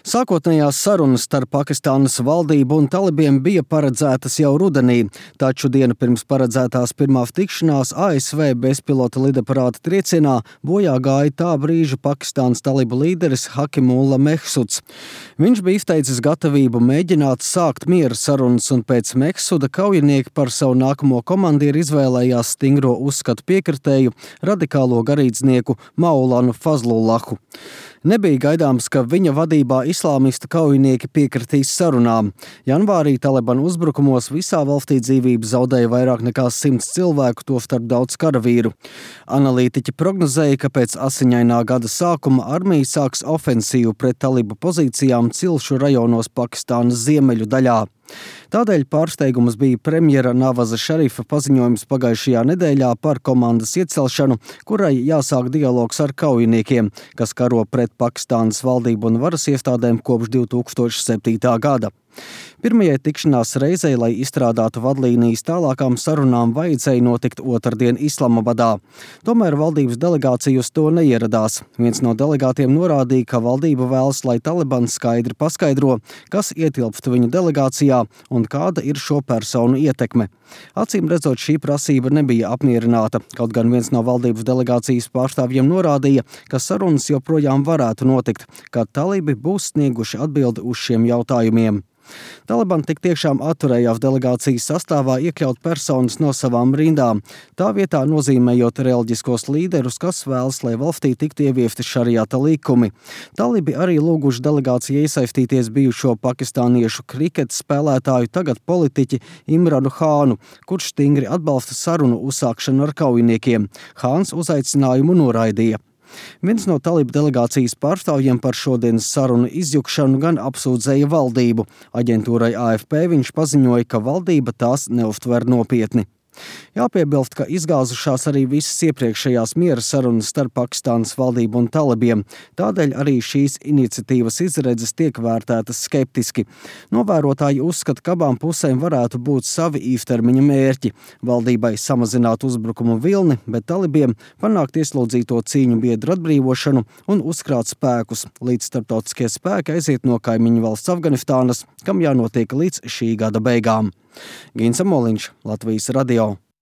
Sākotnējās sarunas starp Pakistānas valdību un talibiem bija paredzētas jau rudenī, taču dienu pirms paredzētās pirmā tikšanās ASV bezpilota lidaparāta triecienā bojā gāja tā brīža Pakistānas talibu līderis Hakimullah Mehsuds. Viņš bija izteicis gatavību mēģināt sākt miera sarunas, un pēc Mehsuda kaujinieki par savu nākamo komandieru izvēlējās stingro uzskatu piekritēju radikālo garīdznieku Maulanu Fazlullahu. Nebija gaidāms, ka viņa vadībā islāmistu kaujinieki piekritīs sarunām. Janvārī Talibanu uzbrukumos visā valstī dzīvību zaudēja vairāk nekā 100 cilvēku, tostarp daudz karavīru. Analītiķi prognozēja, ka pēc asiņainā gada sākuma armija sāks ofensīvu pret talibu pozīcijām Cilšu rajonos Pakistānas ziemeļu daļā. Tādēļ pārsteigums bija premjera Navaza Šarifa paziņojums pagājušajā nedēļā par komandas iecelšanu, kurai jāsāk dialogs ar kaujiniekiem, kas karo pret Pakistānas valdību un varas iestādēm kopš 2007. gada. Pirmajai tikšanās reizei, lai izstrādātu vadlīnijas tālākām sarunām, vajadzēja notikt otrdien Islamabadā. Tomēr valdības delegācija uz to neieradās. Viens no delegātiem norādīja, ka valdība vēlas, lai Talibans skaidri paskaidro, kas ietilpst viņu delegācijā un kāda ir šo personu ietekme. Acīm redzot, šī prasība nebija apmierināta, kaut gan viens no valdības delegācijas pārstāvjiem norādīja, ka sarunas joprojām varētu notikt, kad talibi būs snieguši atbildi uz šiem jautājumiem. Taliban tik tiešām atturējās delegācijas sastāvā iekļaut personas no savām rindām, tā vietā nozīmējot reliģiskos līderus, kas vēlas, lai valstī tiktu ieviesti šariata likumi. Talibi arī lūguši delegācijai iesaistīties bijušo pakistāniešu kriketa spēlētāju, tagad politiķi Imranu Hānu, kurš stingri atbalsta sarunu uzsākšanu ar kaujiniekiem. Hāns uzaicinājumu noraidīja. Viens no talibu delegācijas pārstāvjiem par šodienas sarunu izjukšanu gan apsūdzēja valdību. Aģentūrai AFP viņš paziņoja, ka valdība tās neuztver nopietni. Jāpiebilst, ka izgāzušās arī visas iepriekšējās miera sarunas starp Pakistānas valdību un talibiem. Tādēļ arī šīs iniciatīvas izredzes tiek vērtētas skeptiski. Novērotāji uzskata, ka abām pusēm varētu būt savi īstermiņa mērķi. Valdībai samazināt uzbrukumu vilni, bet talibiem panākt ieslodzīto cīņu biedru atbrīvošanu un uzkrāt spēkus, līdz starptautiskie spēki aiziet no kaimiņu valsts Afganistānas, kam jānotiek līdz šī gada beigām. Gins Amoliņš, Latvijas radio.